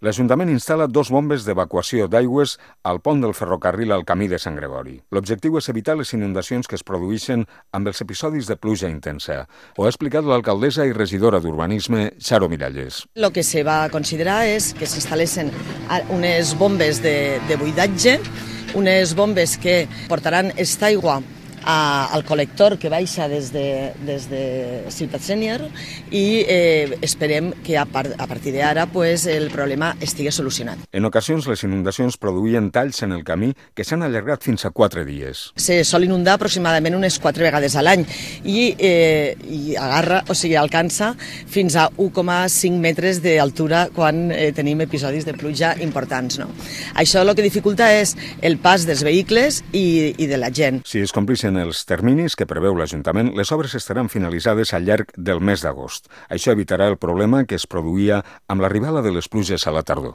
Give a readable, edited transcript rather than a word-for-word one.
L'Ajuntament instal·la 2 bombes d'evacuació d'aigües al pont del ferrocarril al camí de Sant Gregori. L'objectiu és evitar les inundacions que es produeixen amb els episodis de pluja intensa. Ho ha explicat l'alcaldessa i regidora d'Urbanisme, Xaro Miralles. Lo que se va considerar és que s'instal·lessin unes bombes de buidatge, unes bombes que portaran esta aigua al col·lector que baixa des de Ciutat Sènior i esperem que a partir d'ara el problema estigui solucionat. En ocasions, les inundacions produïen talls en el camí que s'han allargat fins a 4 dies. Se sol inundar aproximadament unes 4 vegades a l'any i alcança fins a 1,5 metres d'altura quan tenim episodis de pluja importants. No? Això el que dificulta és el pas dels vehicles i de la gent. Si es complixen els terminis que preveu l'Ajuntament, les obres estaran finalitzades al llarg del mes d'agost. Això evitarà el problema que es produïa amb l'arribada de les pluges a la tardor.